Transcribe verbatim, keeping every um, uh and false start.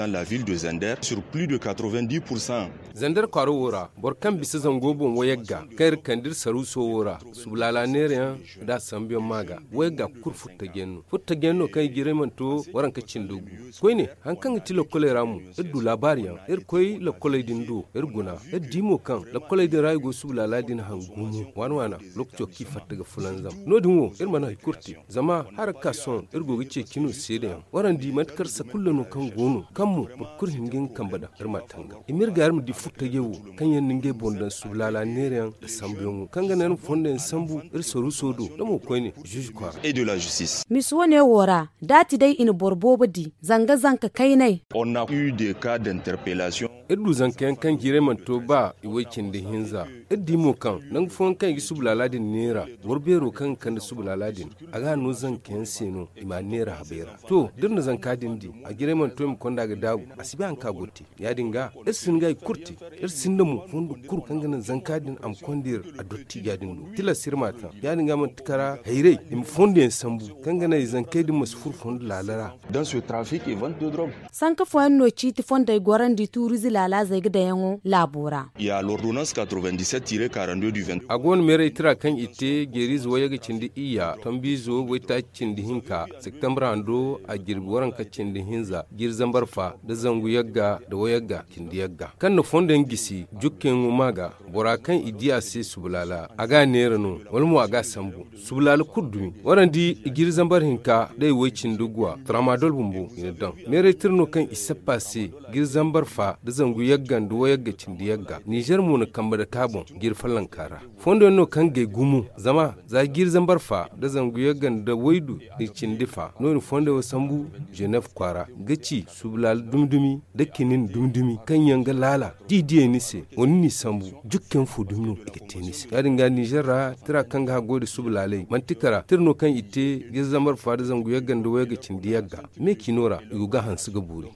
La ville de Zender sur plus de quatre-vingt-dix pour cent. Zender kwaaro wo ra boro kaŋ bisa zango boŋ wayagga kaŋ iri kande iri saruuso wo ra, subu laala neerayaŋ nda a sambuyaŋ ma ga wayagga kulu furtajiyaŋ no furtajiyaŋ no kaŋ i jiray mana to waranka cindi gu. Koyne, hari kaŋ ga ti lakkoley ra mo, iri du laabaariyaŋ iri koy lakkoley din do, iri guna iri di mo kaŋ lakkoley din ra i go subu laala din hangu mo waana waana. Lookaco kaŋ i fatta ga fulanzam no- din wo iri mana hari kulu te. Zama hala ga ka sohõ iri go ga ceeci no seedayaŋ warandi manti kar sakulla no kaŋ go no kaŋ mo boro kulu hin ga nga kambe daŋ iri ma tanga i ma iri ga iri ma di furtajey wo kaŋ yaŋ na ngey boŋ daŋ subu laala neerayaŋ nda sambuyaŋo kaŋ ga naŋ iri ma fondo yaŋ sambu iri saruuso do da mo koyne. Zuuzu kwaara. Misi wane wo ra, da a ti day i na boro boobo di zanga zanka kaynay. Iri du zanka yaŋ kaŋ jiirey mana to ba i way cindi hinza. Iri di mo kaŋ nangu fooyaŋ kaŋ i ga subu laala din neera, boro beero kaŋ ga kande subu laala din, a ga a no zanka yaŋ se no i ma a neera habay ra. To da iri na zanka din di, a jiray mana to i ma konda ga daabu, a si bay hari kaŋ a go ga te. Ya- din ga iri si hin ga hari kulu te. Iri sinda mo fondo kulu kaŋ ga naŋ zanka din a ma konda iri a dottiija din do. Tilas iri ma a taŋ. Ya- din ga manti kara hayray i ma fondo yaŋ sambu, kaŋ ga naŋ i zankey din ma si furo fondo laala ra. Sanka fooyaŋ no ciiti fondey gorandi tuuriize laalaazey ga dayaŋo laabo ra. A go no meeray tira kaŋ i te jeeriize wayye ga cindi iyya tombiizo waytaaci cindi hinka septembre hando a jirbi waranka cindi hinza jiiri zambar fa nda zangu yagga nda wayagga cindi yagga kaŋ na fondo yaŋ gisi jukkayaŋo ma ga. Bora kaŋ i di a se subu laala a ga a neera no, wala mo a ga a sambu. Subu laala kulu dumi warandi jiiri zambar hinka day way cindi guwa tramadol bumbo i na daŋ. Meeray tira no kaŋ i sappa se jiiri zambar fa nda zangu yagga nda wayagga cindi yagga nizer mo na kambe dake a boŋ jiiri follonka ra. Fondo yaŋ no kaŋ gay gumo zama za jiiri zambar fa nda zangu yagga nda waydu nda cindi fa no- din fondo yaŋ wo sambu. Zenef kwaara ga ci subu laala dumi dumi nda kinin dumi dumi kaŋ yaŋ ga laala da i diyey ni se, wala ni n'i sambu jukkayaŋ fo dumi no i ga te ni se. Ya- din ga nizer ra tira kaŋ ga haggoy nda subu laaley manti kara tira no kaŋ i te jiiri zambar fa nda zangu yagga nda wayagga cindi yagga me ciino ra i go ga a hanse ga boori.